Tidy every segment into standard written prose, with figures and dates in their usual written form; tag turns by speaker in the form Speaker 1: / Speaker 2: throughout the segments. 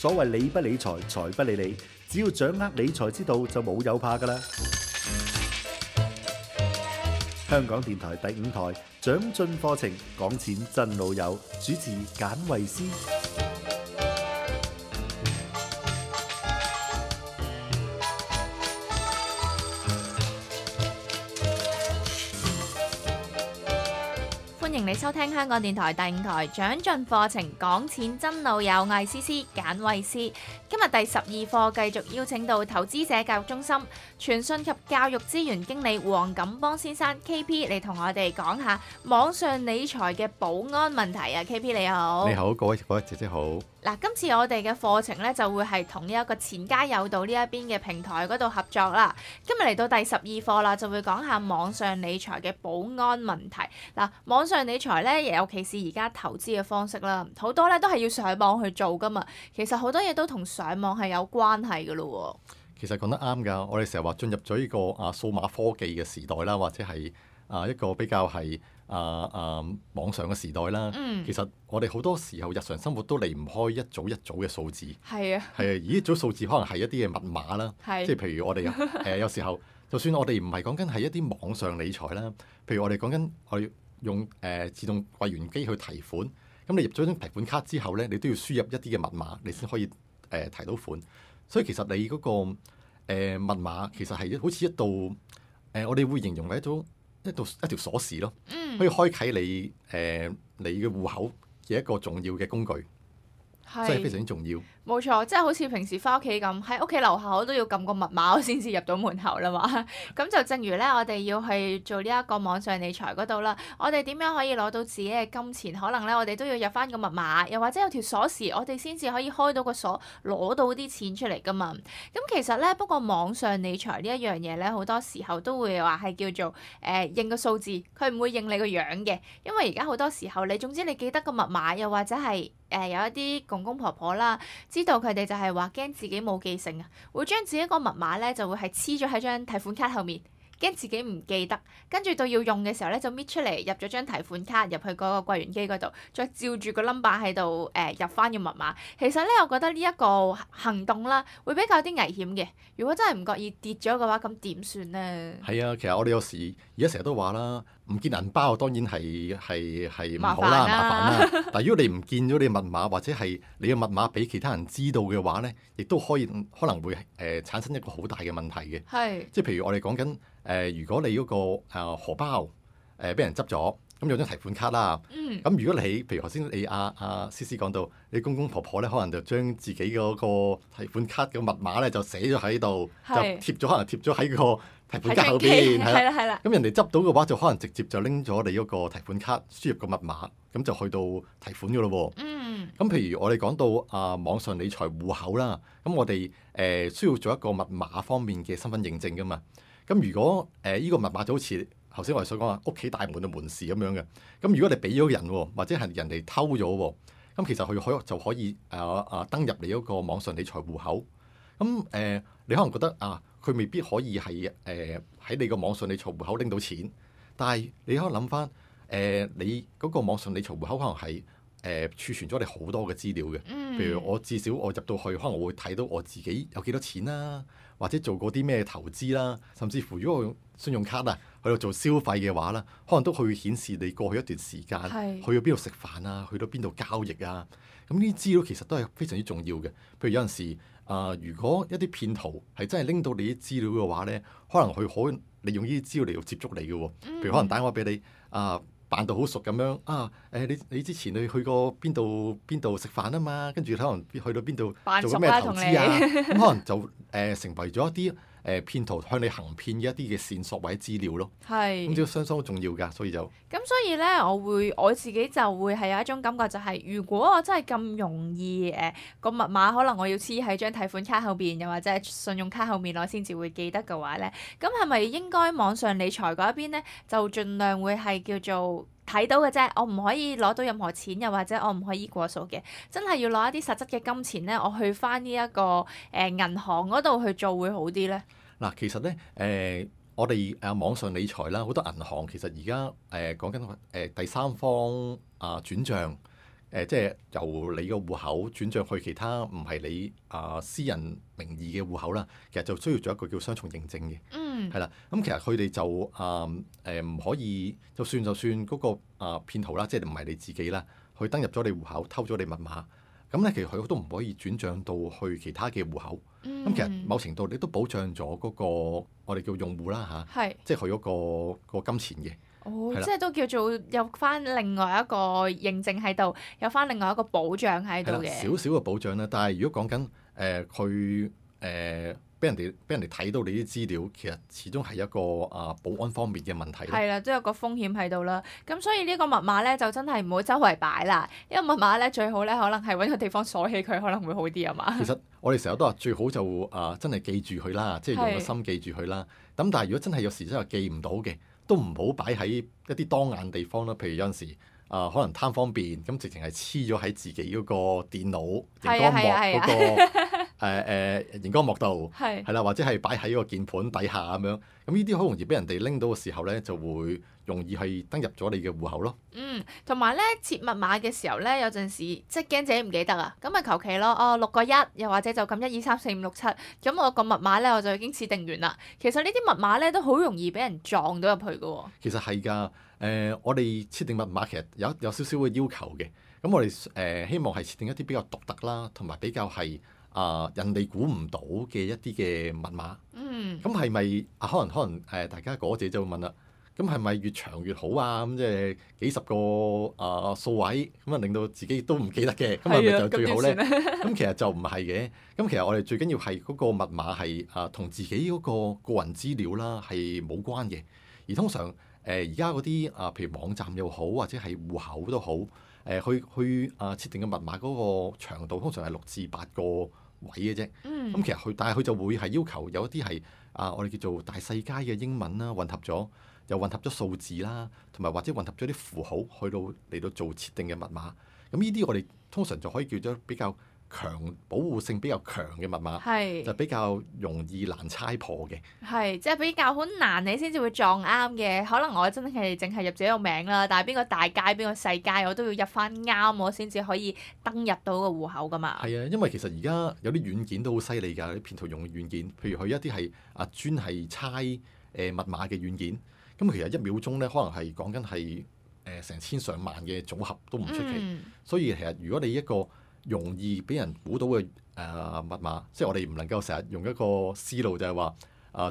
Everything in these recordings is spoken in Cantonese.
Speaker 1: 所謂理不理財，財不理你，只要掌握理財之道，就冇有怕㗎啦。香港電台第5台長進課程，講錢真老友，主持簡慧思。
Speaker 2: 歡迎你收聽香港電台第5台長進課程，講錢真老友，我係思思簡慧思。今日第12課繼續邀請到投資者教育中心傳訊及教育資源經理黃錦邦先生 KP 嚟同我哋講下網上理財嘅保安問題啊。 KP 你好。
Speaker 3: 你好，各位姐姐好。
Speaker 2: 嗱，今次我哋嘅課程咧就會係同呢一個錢家有道呢一邊嘅平台嗰度合作啦。今日嚟到第12課啦，就會講下網上理財嘅保安問題。嗱，網上理財咧，尤其是而家投資嘅方式啦，好多咧都係要上網去做噶嘛。其實好多嘢都同上網係有關係噶咯。
Speaker 3: 其實講得啱㗎，我哋成日話進入咗呢個數碼科技嘅時代啦，或者係一個比較係網上嘅時代啦。其實我哋好多時候日常生活都離唔開一組一組嘅數字。係啊。係啊，而呢組數字可能係一啲嘅密碼啦。即係譬如我哋有時候，就算我哋唔係講緊係一啲網上理財啦，譬如我哋講緊我哋用自動櫃員機去提款，咁你入咗張提款卡之後咧，你都要輸入一啲嘅密碼，你先可以提到款。所以其實你嗰個密碼其實係好似一道我哋會形容為一條鎖匙咯，可以開啟你嘅戶口嘅一個重要嘅工具，所以非常之重要。
Speaker 2: 冇錯，即係好似平時翻屋企咁，喺屋企樓下我都要撳個密碼，我先至入到門口啦嘛。咁就正如咧，我哋要去做呢一個網上理財嗰度啦，我哋點樣可以攞到自己嘅金錢？可能咧，我哋都要入翻個密碼，又或者有條鎖匙，我哋先至可以開到個鎖，攞到啲錢出嚟噶嘛。咁其實咧，不過網上理財呢一樣嘢咧，好多時候都會話係叫做認個數字，佢唔會認你個樣嘅，因為而家好多時候你總之你記得個密碼，又或者係有一啲公公婆婆啦。知道佢哋就係話驚自己冇記性啊，會將自己個密碼咧就會係黐咗喺張提款卡後面，驚自己唔記得，跟住到要用嘅時候咧就搣出嚟入咗張提款卡入去嗰個櫃員機嗰度，再照住個 number 喺度入翻個密碼。其實咧，我覺得呢一個行動啦，會比較啲危險嘅。如果真係唔覺意跌咗嘅話，咁點算咧？
Speaker 3: 係啊，其實我哋有時而家成日都話啦，唔見銀包當然係唔好啦，麻煩啦。但係如果你唔見咗你密碼，或者係你嘅密碼俾其他人知道嘅話咧，亦都可能會產生一個好大嘅問題嘅。係，即係譬如我哋講緊如果你嗰個荷包俾人執咗，咁有張提款卡啦。咁如果你譬如頭先你思思講到，你公公婆婆咧可能就將自己嗰個提款卡嘅密碼咧就寫咗喺度，就可能貼咗喺個提款卡後邊，係啦。咁人哋執到嘅話，就可能直接就拎咗你嗰個提款卡輸入個密碼，咁就去到提款噶咯喎。咁譬如我哋講到網上理財戶口啦，咁我哋需要做一個密碼方面嘅身份認證噶嘛。咁如果呢個密碼就好似頭先我哋所講話屋企大門嘅門匙咁樣嘅，咁如果你俾咗人喎，或者係人哋偷咗喎，咁其實佢就可以登入你嗰個網上理財戶口。咁你可能覺得佢未必可以係喺你個網上理財戶口拎到錢，但係你可能諗翻你嗰個網上理財戶口可能係儲存咗你好多嘅資料嘅。譬如我至少我入到去，可能我會睇到我自己有幾多錢啦，或者做過啲咩投資啦，甚至乎如果我用信用卡去到做消費嘅話啦，可能都會顯示你過去一段時間去到邊度食飯啊，去到邊度交易啊。咁呢啲資料其實都係非常之重要嘅。譬如有陣時如果一啲騙徒係真係拎到你啲資料嘅話咧，可能佢可以利用呢啲資料嚟到接觸你嘅喎。譬如可能打電話俾你扮到好熟咁樣你之前你去過邊度食飯啊嘛，跟住可能去到邊度做過咩投資啊，咁可能就成為咗一啲騙徒向你行騙嘅一啲嘅線索或者資料咯。係，咁呢個相當重要㗎，所以就
Speaker 2: 咁所以咧，我自己就會係有一種感覺，就係如果我真係咁容易個密碼，可能我要黐喺張提款卡後邊，又或者係信用卡後面，我先至會記得嘅話咧，咁係咪應該網上理財嗰一邊咧，就盡量會係叫做睇到嘅啫？我唔可以攞到任何錢，又或者我唔可以過數嘅，真係要攞一啲實質嘅金錢咧，我去翻呢一個銀行嗰度去做會好啲咧。
Speaker 3: 嗱，其實咧我哋網上理財啦，好多銀行其實而家講緊第三方轉帳即係由你個戶口轉賬去其他唔係你私人名義嘅戶口啦，其實就需要做一個叫雙重認證嘅。係啦，咁其實佢哋就唔可以，就算嗰個騙徒啦，即係唔係你自己啦，去登入咗你戶口偷咗你密碼，咁咧其實佢都唔可以轉賬到去其他嘅戶口。咁其實某程度你都保障咗嗰個我哋叫用戶啦嚇，即係佢嗰個金錢嘅。
Speaker 2: 即係都叫做有翻另外一個認證喺度，有翻另外一個保障喺度嘅。
Speaker 3: 少少嘅保障啦，但係如果講緊佢俾人哋睇到你啲資料，其實始終係一個保安方面嘅問題。
Speaker 2: 係啦，即係有個風險喺度啦。咁所以呢個密碼咧就真係唔好周圍擺啦。因為密碼咧最好咧可能係揾個地方鎖起佢，可能會好啲啊嘛。
Speaker 3: 其實我哋成日都話最好就真係記住佢啦，即係用個心記住佢啦。咁但係如果真係有時真係記唔到嘅，都唔好擺喺一啲當眼地方啦。譬如有陣時可能貪方便，咁直情係黐咗喺自己嗰個電腦熒光幕嗰個熒光幕度，係啦，或者係擺喺個鍵盤底下咁樣。咁呢啲好容易俾人哋拎到嘅時候咧，就會容易係登入咗你嘅戶口咯。
Speaker 2: 同埋咧設密碼嘅時候咧，有陣時即係驚自己唔記得啊，咁咪求其咯。6個1，又或者就咁1 2 3 4 5 6 7，咁我個密碼咧我就已經設定完啦。其實呢啲密碼咧都好容易俾人撞到入去㗎喎。
Speaker 3: 其實係㗎，我哋設定密碼其實有少少嘅要求嘅。咁我哋希望係設定一啲比較獨特啦，同埋比較係人哋估唔到嘅一啲嘅密碼。咁係咪可能大家嗰姐就會問啦，咁係咪越長越好啊？咁即係幾十個數位，咁令到自己都唔記得嘅，咁係咪就最好咧？咁其實就唔係嘅。咁其實我哋最緊要係嗰個密碼係同自己嗰個個人資料啦係冇關嘅。而通常而家嗰啲譬如網站又好，或者係戶口都好，去設定嘅密碼嗰個長度通常係6至8個位嘅啫。咁其實但係佢就會係要求有一啲係我哋叫做大細階嘅英文啦，混合咗，又混合咗數字啦，同埋或者混合咗啲符號嚟到做設定嘅密碼。咁呢啲我哋通常就可以叫做比較保護性比較強嘅密碼，就比較容易難猜破嘅。
Speaker 2: 即係比較好難，你先至會撞啱嘅。可能我真係淨係入自己個名啦，但係邊個大街邊個細街，我都要入翻啱，我先至可以登入到個戶口噶嘛。
Speaker 3: 係啊，因為其實而家有啲軟件都好犀利㗎，啲騙徒用嘅軟件，譬如佢一啲係專係猜密碼嘅軟件，咁其實1秒鐘咧，可能係講緊係成千上萬嘅組合都唔出奇。所以其實如果你一個容易俾人估到嘅密碼，即係我哋唔能夠成日用一個思路就係話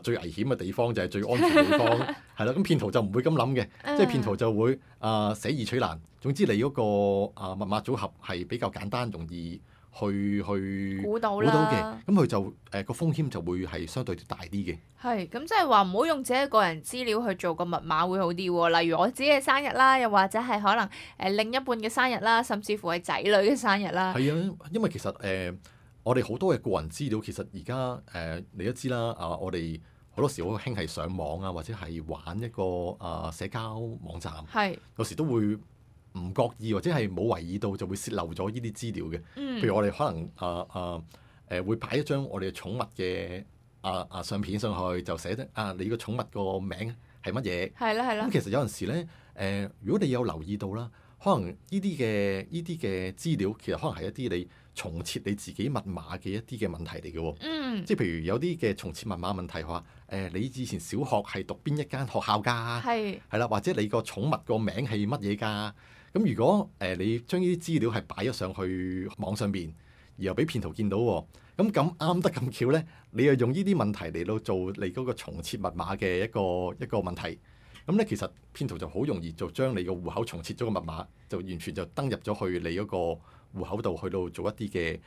Speaker 3: 最危險嘅地方就係最安全嘅地方，係啦。咁騙徒就唔會咁諗嘅，即係騙徒就會捨易取難。總之你嗰個密碼組合係比較簡單，容易去
Speaker 2: 估到
Speaker 3: 嘅，咁佢就個風險就會係相對大啲嘅。
Speaker 2: 咁即係話唔好用自己個人資料去做個密碼會好啲喎。例如我自己嘅生日啦，又或者係可能另一半嘅生日啦，甚至乎係仔女嘅生日啦。
Speaker 3: 係啊，因為其實我哋好多嘅個人資料，其實而家你都知啦，我哋好多時好興係上網啊，或者係玩一個社交網站，有時都會唔覺意或者係冇為意到就會泄漏咗呢啲資料嘅。譬如我哋可能會擺一張我哋嘅寵物嘅相片上去，就寫得你個寵物個名係乜嘢？係啦。咁其實有陣時咧，如果你有留意到啦，可能呢啲嘅資料其實可能係一啲你重設你自己密碼嘅一啲嘅問題嚟嘅喎。即係譬如有啲嘅重設密碼問題話你以前小學係讀邊一間學校㗎？係啦，或者你個寵物個名係乜嘢㗎？咁如果你將呢啲資料係擺咗上去網上邊，而又俾騙徒見到喎，咁啱得咁巧咧，你又用呢啲問題嚟到做你嗰個重設密碼嘅一個問題，咁咧其實騙徒就好容易就將你個戶口重設咗個密碼，就完全就登入咗去你嗰個戶口度去到做一啲嘅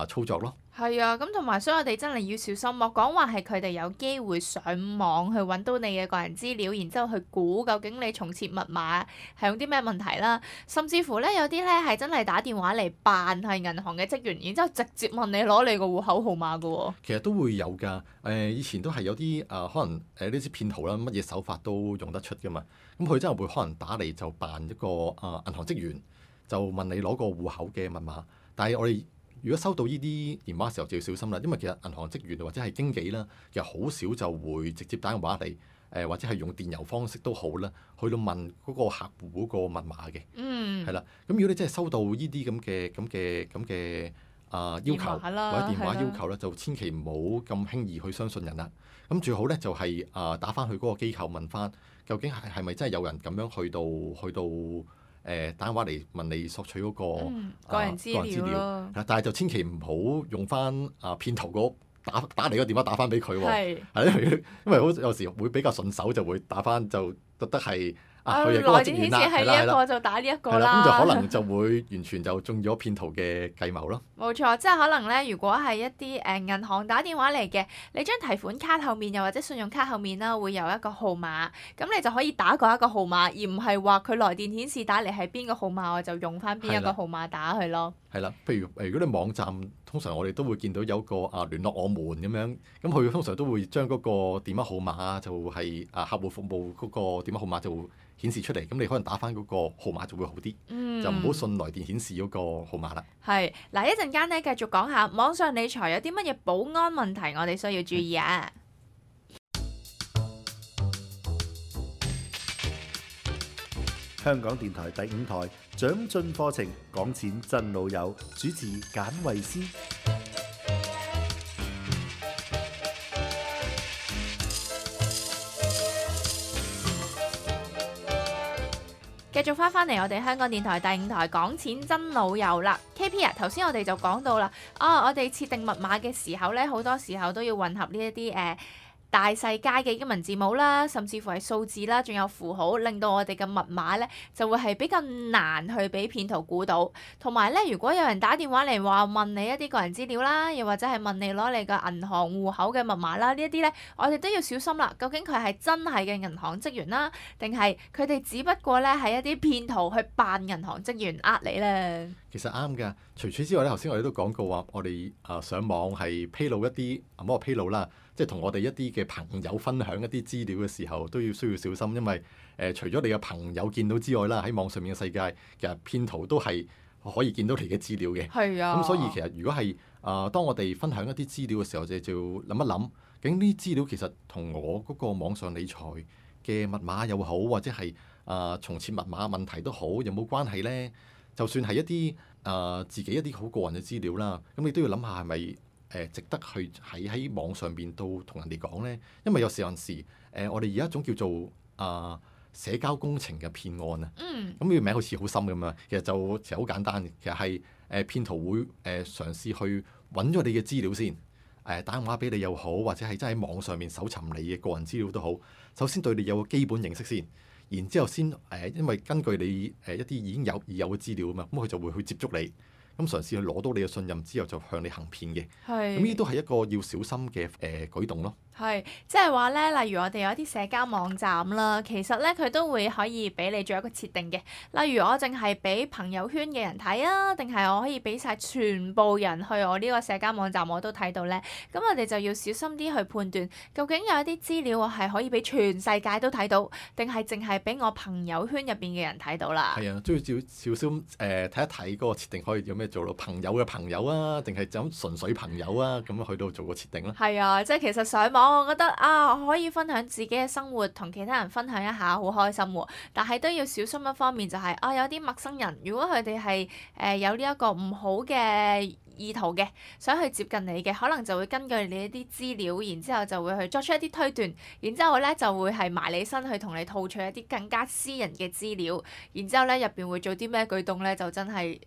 Speaker 3: 操作咯。
Speaker 2: 咁同埋所以我哋真係要小心，莫講話係佢哋有機會上網去揾到你嘅個人資料，然之後去估究竟你重設密碼係用啲咩問題啦。甚至乎咧有啲咧係真係打電話嚟扮係銀行嘅職員，然之後直接問你攞你個戶口號碼㗎喎。
Speaker 3: 其實都會有㗎。以前都係有啲可能呢啲騙徒啦，乜嘢手法都用得出㗎嘛。咁佢真係會可能打嚟就扮一個銀行職員，就問你攞個戶口嘅密碼。但係我哋如果收到呢啲電話嘅時候就要小心啦，因為其實銀行職員或者係經紀啦，其實好少就會直接打電話嚟或者係用電郵方式都好啦，去到問嗰個客戶嗰個密碼嘅。係啦。咁如果你真係收到呢啲咁嘅要求或者電話要求咧，就千祈唔好咁輕易去相信人啦。咁最好咧就係打翻去嗰個機構問翻，究竟係咪真係有人咁樣去到打電話嚟問你索取嗰個
Speaker 2: 個人資料。
Speaker 3: 但係就千祈唔好用翻騙徒嗰打嚟個電話打翻俾佢喎。因為好有時會比較順手，就會打翻就覺得係。佢係嗰個職員啦，
Speaker 2: 係呢一個就打呢一個啦，
Speaker 3: 咁就可能就會完全就中咗騙徒嘅計謀咯。
Speaker 2: 冇錯，即係可能咧，如果係一啲銀行打電話嚟嘅，你張提款卡後面又或者信用卡後面啦，會有一個號碼，咁你就可以打嗰一個號碼，而唔係話佢來電顯示打嚟係邊個號碼，我就用翻邊一個號碼打佢咯。係
Speaker 3: 啦，譬如如果你網站通常我哋都會見到有個聯絡我們咁樣，咁佢通常都會將嗰個電話號碼就係客戶服務嗰個電話號碼就顯示出嚟，咁你可能打翻嗰個號碼就會好啲，就唔好信來電顯示嗰個號碼啦。
Speaker 2: 係嗱，一陣間咧繼續講下網上理財有啲乜嘢保安問題，我哋需要注意啊！
Speaker 1: 香港電台第5台長進課程，講錢真老友，主持簡慧思。
Speaker 2: 繼續翻嚟我哋香港電台第5台講錢真老友啦。KP 啊，頭先我哋就講到啦，我哋設定密碼嘅時候咧，好多時候都要混合呢一啲大細階嘅英文字母啦，甚至乎係數字啦，仲有符號，令到我哋嘅密碼咧就會係比較難去俾騙徒估到。同埋咧，如果有人打電話嚟話問你一啲個人資料啦，又或者係問你攞你嘅銀行戶口嘅密碼啦，呢一啲咧，我哋都要小心啦。究竟佢係真係嘅銀行職員啦，定係佢哋只不過咧係一啲騙徒去扮銀行職員呃你咧？
Speaker 3: 其實啱㗎。除此之外咧，頭先我哋都講過話，我哋上網係披露一啲唔好話披露啦，即係同我哋一啲嘅朋友分享一啲資料嘅時候，都需要小心，因為除咗你嘅朋友見到之外啦，喺網上面嘅世界，其實騙徒都係可以見到你嘅資料嘅。
Speaker 2: 係啊。
Speaker 3: 咁所以其實如果係當我哋分享一啲資料嘅時候，就要諗一諗，究竟呢啲資料其實同我嗰個網上理財嘅密碼又好，或者係重設密碼問題都好，有冇關係咧？就算係一啲自己一啲好個人嘅資料啦，咁你都要諗下係咪值得去喺網上邊都同人哋講咧？因為有時我哋而家一種叫做社交工程嘅騙案啊。咁呢個名好似好深咁啊，其實好簡單嘅，其實係騙徒會嘗試去揾咗你嘅資料先，打電話俾你又好，或者係真係喺網上面搜尋你嘅個人資料都好，首先對你有個基本認識先。然之後先因為根據你一啲已經有嘅資料啊嘛，咁佢就會去接觸你，咁嘗試去攞到你嘅信任之後，就向你行騙嘅。咁呢啲都係一個要小心嘅舉動咯。
Speaker 2: 係，即係話咧，例如我哋有一啲社交網站啦，其實咧佢都會可以俾你做一個設定嘅。例如我淨係俾朋友圈嘅人睇啊，定係我可以俾晒全部人去我呢個社交網站我都睇到咧。咁我哋就要小心啲去判斷，究竟有一啲資料我係可以俾全世界都睇到，定係淨係俾我朋友圈入邊嘅人睇到啦。
Speaker 3: 係啊，都要小心睇一睇嗰個設定可以有咩做咯？朋友嘅朋友啊，定係就咁純粹朋友啊？咁樣去到做個設定啦。
Speaker 2: 係啊，即係其實上網。我覺得我可以分享自己嘅生活，同其他人分享一下，好開心喎。但係都要小心一方面，就係有啲陌生人，如果佢哋係有呢一個唔好嘅意圖嘅，想去接近你嘅，可能就會根據你一啲資料，然之後就會去作出一啲推斷，然之後咧就會係埋你身去同你套取一啲更加私人嘅資料，然之後咧入邊會做啲咩舉動咧，就真係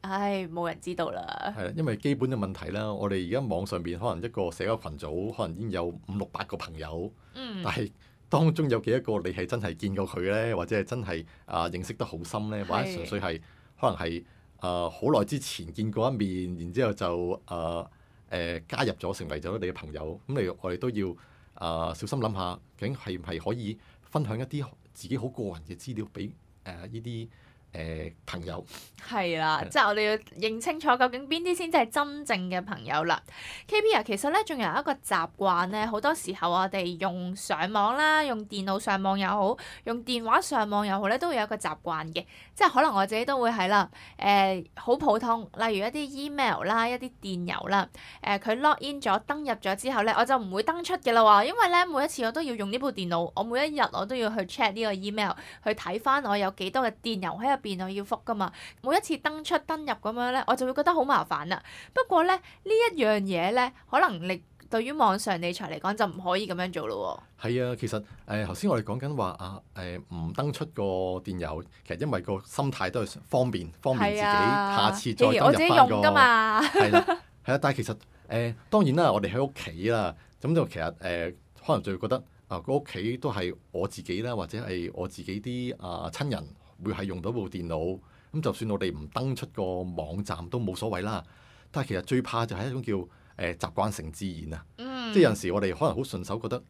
Speaker 2: 冇人知道啦。
Speaker 3: 係啦，因為基本嘅問題啦，我哋而家網上邊可能一個社交群組可能已經有5、6、8個朋友，但係當中有幾多個你係真係見過佢咧，或者係真係認識得好深咧，或者純粹係可能係好耐之前見過一面，然之後就加入咗成為咗你嘅朋友，咁我哋都要小心諗下，究竟係唔係可以分享一啲自己好個人嘅資料俾呢啲朋友。
Speaker 2: 係啦，即係我哋要認清楚究竟邊啲先至係真正嘅朋友啦。KP 啊，其實咧仲有一個習慣咧，好多時候我哋用上網啦，用電腦上網又好，用電話上網又好咧，都會有一個習慣嘅，即係可能我自己都會係啦。好普通，例如一啲 email 啦，一啲電郵啦，佢 log in 咗登入咗之後咧，我就唔會登出嘅啦喎，因為咧每一次我都要用呢部電腦，我每一日我都要去 check 呢個 email，去睇翻我有幾多嘅電郵喺入邊我要覆噶嘛。每一次登出登入咁樣咧，我就會覺得好麻煩啦。不過咧，呢一樣嘢咧，可能你對於網上理財嚟講就唔可以咁樣做咯喎。
Speaker 3: 係啊，其實頭先我哋講緊話唔登出個電郵，其實因為個心態都係方便自己，下次再登入翻個。我自己用㗎嘛。係啦，係啊，但係其實當然啦，我哋喺屋企啦，咁就其實可能就會覺得個屋企都係我自己啦，或者係我自己啲親人會係用到部電腦。咁就算我哋唔登出個網站都冇所謂啦，但係其實最怕就係一種叫習慣成自然啊，即係有陣時我哋可能好順手覺得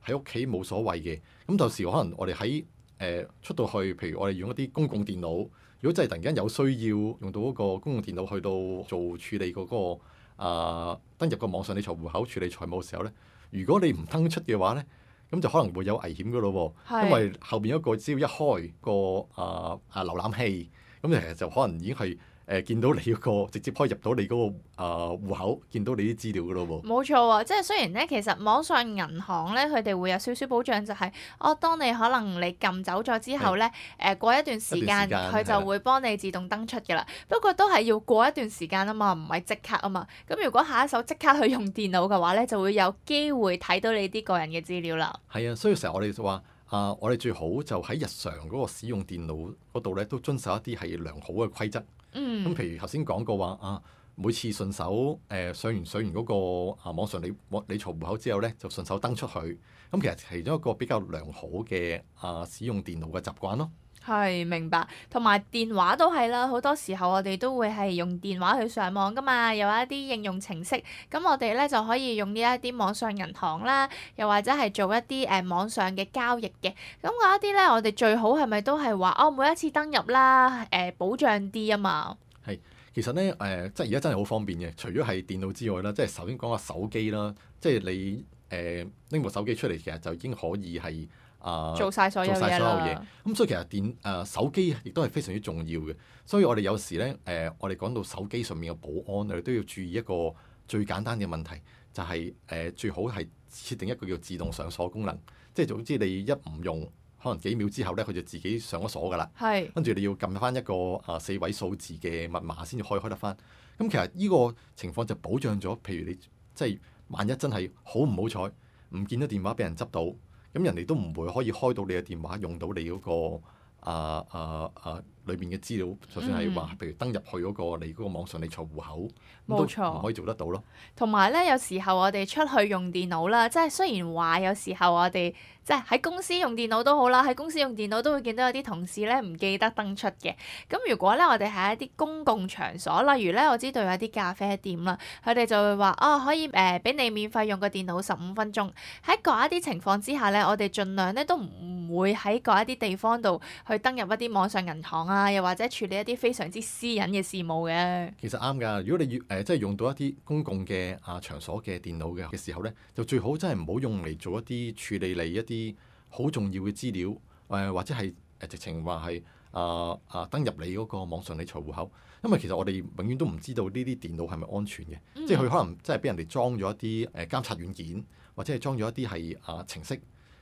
Speaker 3: 喺屋企冇所謂嘅，咁到時可能我哋喺出到去，譬如我哋用一啲公共電腦，如果真係突然間有需要用到嗰個公共電腦去到做處理嗰個登入個網上理財戶口處理財務嘅時候咧，如果你唔登出嘅話咧，咁就可能會有危險噶咯喎，因為後邊一個只要一開個瀏覽器。咁其實就可能已經係見到你嗰個直接可以入到你嗰個戶口，見到你啲資料噶咯喎。冇
Speaker 2: 錯喎，即係雖然咧，其實網上銀行咧，佢哋會有少少保障，就係當你可能你撳走咗之後咧，過一段時間佢就會幫你自動登出嘅啦。不過都係要過一段時間啊嘛，唔係即刻啊嘛。咁如果下一手即刻去用電腦嘅話咧，就會有機會睇到你啲個人嘅資料啦。
Speaker 3: 係啊，所以成日我哋就話。我哋最好就喺日常嗰個使用電腦嗰度咧，都遵守一啲係良好嘅規則。咁譬如頭先講過話每次順手上完嗰個網上理財戶口之後咧，就順手登出去。咁其實其中一個比較良好嘅使用電腦嘅習慣咯。
Speaker 2: 係，明白，同埋電話都係啦。好多時候我哋都會係用電話去上網噶嘛，有一啲應用程式，咁我哋咧就可以用呢一啲網上銀行啦，又或者係做一啲網上嘅交易嘅。咁嗰一啲咧，我哋最好係咪都係話每一次登入啦，保障啲啊嘛。
Speaker 3: 係，其實咧即係而家真係好方便嘅。除咗係電腦之外啦，即係首先講下手機啦，即係你拎部手機出嚟，其實就已經可以係。
Speaker 2: 做晒所有嘢啦。
Speaker 3: 咁所以其實手機亦都係非常之重要嘅。所以我哋有時咧我哋講到手機上面嘅保安，我哋都要注意一個最簡單嘅問題，就係最好係設定一個叫自動上鎖功能。即係總之你一唔用，可能幾秒之後咧，佢就自己上咗鎖㗎啦。
Speaker 2: 係。跟
Speaker 3: 住你要撳翻一個4位數字嘅密碼先至可以開得翻。咁其實呢個情況就保障咗，譬如你即係萬一真係好唔好彩，唔見咗電話俾人執到。咁人哋都唔會可以開到你嘅電話，用到你嗰個裏面嘅資料，就算係話，譬如登入去嗰個你嗰個網上理財戶口，冇錯，都唔可以做得到咯。
Speaker 2: 同埋咧，有時候我哋出去用電腦啦，即係雖然話有時候我哋即係喺公司用電腦都好啦，喺公司用電腦都會見到有啲同事咧唔記得登出嘅。咁如果咧我哋喺一啲公共場所，例如咧我知道有啲咖啡店啦，佢哋就會話可以俾你免費用個電腦15分鐘。喺嗰一啲情況之下咧，我哋盡量咧都唔會喺嗰一啲地方度去登入一啲網上銀行啊，又或者處理一啲非常之私隱嘅事務嘅。
Speaker 3: 其實啱㗎，如果你即係用到一啲公共嘅場所嘅電腦嘅時候咧，就最好真係唔好用嚟做一啲處理你一啲好重要嘅資料，或者係直情話係登入你嗰個網上理財戶口，因為其實我哋永遠都唔知道呢啲電腦係咪安全嘅，即係佢可能真係俾人哋裝咗一啲監察軟件，或者係裝咗一啲係程式，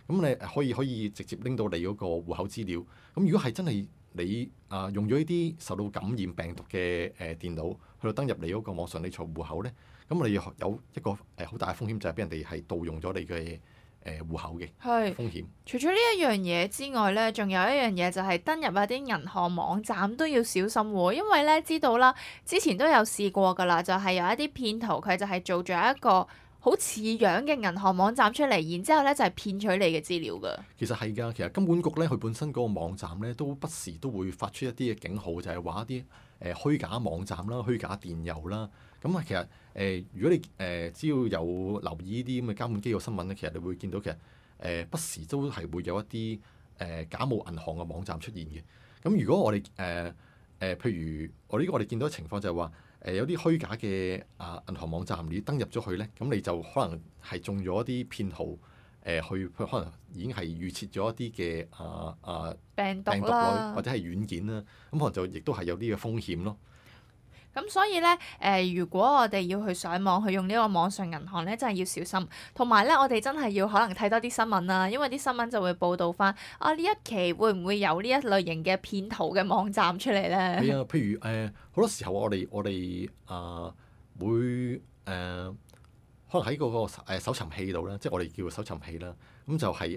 Speaker 3: 咁你可以直接拎到你嗰個戶口資料。咁如果係真係你用咗呢啲受到感染病毒嘅電腦去到登入你嗰個網上理財戶口咧，咁你有一個好大嘅風險，就係俾人哋係盜用咗你嘅戶口嘅風險。
Speaker 2: 除咗呢一樣嘢之外咧，仲有一樣嘢就係登入一啲銀行網站都要小心喎，因為咧知道啦，之前都有試過㗎啦，就係有一啲騙徒佢就係做咗一個好似樣嘅銀行網站出嚟，然之後咧就係騙取你嘅資料㗎。
Speaker 3: 其實係㗎，其實金管局咧佢本身嗰個網站咧都不時都會發出一啲嘅警號，就係話一啲虛假網站啦、虛假電郵啦。咁其實如果你只要有留意呢啲咁嘅監管機構新聞咧，其實你會見到其實不時都係會有一啲假冒銀行嘅網站出現嘅。咁如果我哋譬如我呢個我哋見到嘅情況就係話有啲虛假嘅銀行網站你登入咗去咧，咁你就可能係中咗一啲騙徒去可能已經係預設咗一啲嘅
Speaker 2: 病毒
Speaker 3: 類
Speaker 2: 啦，
Speaker 3: 或者係軟件啦，咁可能就亦都係有啲嘅風險咯。
Speaker 2: 咁所以咧，如果我哋要去上網去用呢個網上銀行咧，真係要小心。同埋咧，我哋真係要可能睇多啲新聞啦，因為啲新聞就會報導翻呢一期會唔會有呢一類型嘅騙徒嘅網站出嚟咧？
Speaker 3: 係啊，譬如好多時候我哋會可能喺嗰個搜尋器度咧，即係我哋叫搜尋器啦，咁就係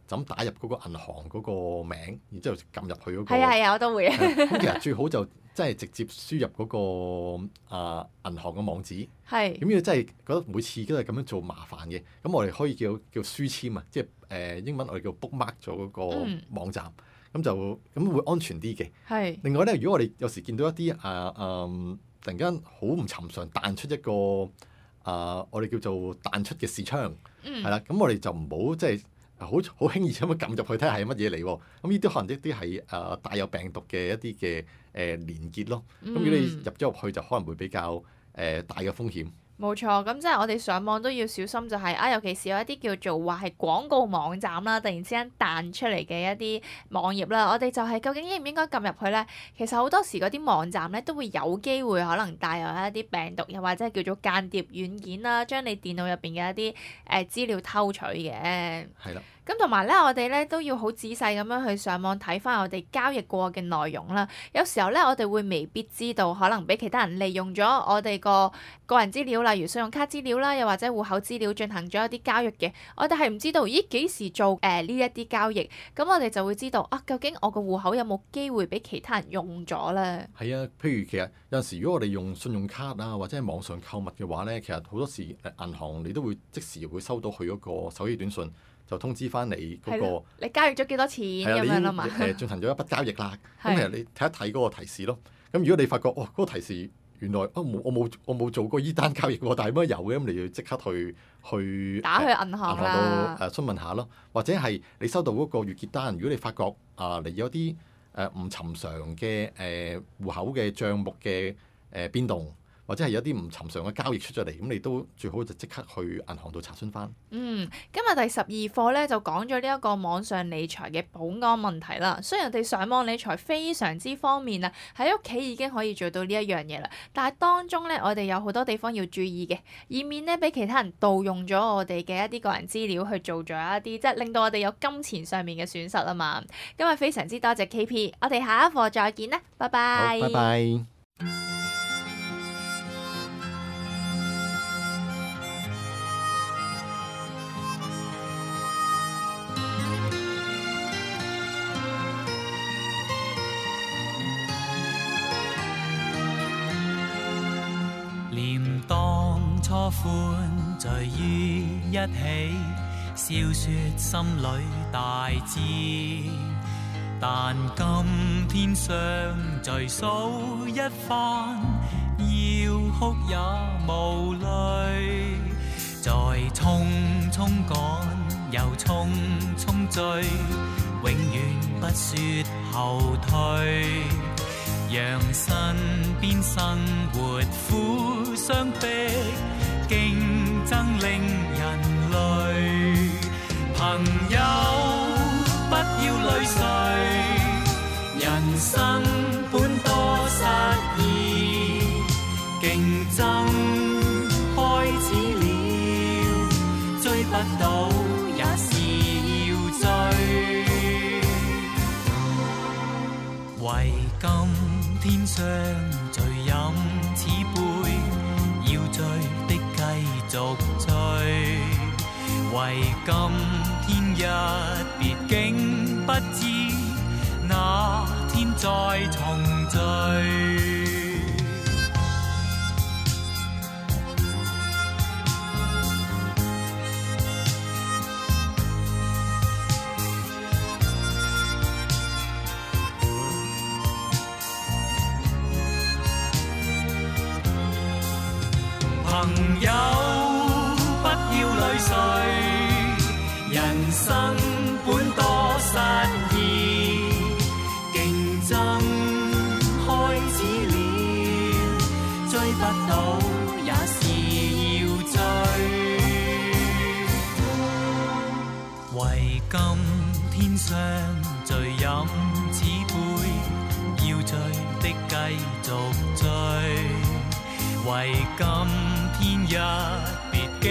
Speaker 3: 就咁打入嗰個銀行嗰個名，然之後撳入去嗰個。
Speaker 2: 係啊，我都會。
Speaker 3: 咁其實最好就即係直接輸入嗰個銀行嘅網址。
Speaker 2: 係。
Speaker 3: 咁如果真係覺得每次都係咁樣做麻煩嘅，咁我哋可以叫書籤啊，即係英文我哋叫 bookmark 咗嗰個網站，咁會安全啲嘅。
Speaker 2: 係。
Speaker 3: 另外咧，如果我哋有時見到一啲突然間好唔尋常彈出一個我哋叫做彈出嘅視窗，係啦，咁我哋就唔好即係好輕易咁樣撳入去睇下係乜嘢嚟喎。咁呢啲可能一啲係帶有病毒嘅一啲嘅連結咯。咁如果你入咗入去，就可能會比較大嘅風險。
Speaker 2: 冇錯，咁即係我哋上網都要小心，就係尤其是有一啲叫做話係廣告網站啦，突然之間彈出嚟嘅一啲網頁啦，我哋就係究竟應唔應該撳入去咧？其實好多時嗰啲網站咧都會有機會可能帶有一啲病毒，又或者係叫做間諜軟件啦，將你電腦入邊嘅一啲資料偷取嘅。
Speaker 3: 係啦。
Speaker 2: 咁同埋咧，我哋咧都要好仔細咁樣去上網睇翻我哋交易過嘅內容啦。有時候咧，我哋會未必知道，可能俾其他人利用咗我哋個人資料，例如信用卡資料啦，又或者戶口資料進行咗一啲交易嘅。我哋係唔知道，咦幾時做呢一啲交易？咁我哋就會知道究竟我個戶口有冇機會俾其他人用咗咧？
Speaker 3: 係啊，譬如其實有陣時，如果我哋用信用卡或者係網上購物嘅話咧，其實好多時銀行你都會即時會收到佢嗰個手機短信。就通知翻你嗰個，
Speaker 2: 你交易咗幾多錢咁樣啦嘛？
Speaker 3: 進行咗一筆交易啦。咁其實你睇一睇嗰個提示咯。咁如果你發覺嗰個提示原來我冇做過依單交易喎，但係乜有嘅，咁你要即刻去
Speaker 2: 打去銀行啦，
Speaker 3: 詢問下咯。或者係你收到嗰個月結單，如果你發覺你有啲唔尋常嘅戶口嘅帳目嘅變動。或者係有啲唔尋常嘅交易出咗嚟，咁你都最好就即刻去銀行度查詢翻。
Speaker 2: 今日第12課咧就講咗呢一個網上理財嘅保安問題啦。雖然我哋上網理財非常之方便啊，喺屋企已經可以做到呢一樣嘢啦，但係當中咧我哋有好多地方要注意嘅，以免咧俾其他人盜用咗我哋嘅一啲個人資料去做咗一啲即係令到我哋有金錢上面嘅損失啊嘛。今日非常之多謝 KP， 我哋下一課再見啦，拜拜。
Speaker 3: 好，拜拜。
Speaker 4: 初歡聚於一起，笑說心裏大志。但今天相聚數一番，要哭也無淚。在匆匆趕又匆匆追，永遠不說後退。讓身邊生活苦相逼，競爭令人累。朋友不要淚垂，人生本多失意。競爭開始了，追不到也是要追。為今天相聚飲此杯，要追的繼續追。為今天一別，竟不知那天再重聚。朋友不要淚垂，人生本多失意。競爭不到，也是要追。為今天相聚飲此杯，要醉的繼續追。為今天一別，竟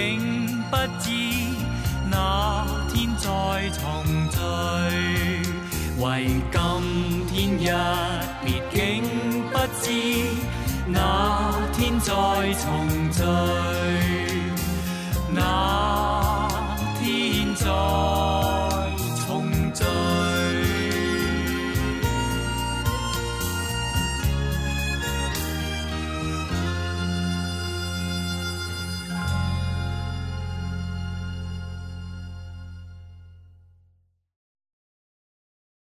Speaker 4: 不知那天再重聚。為今天一別，竟不知那天再重聚。那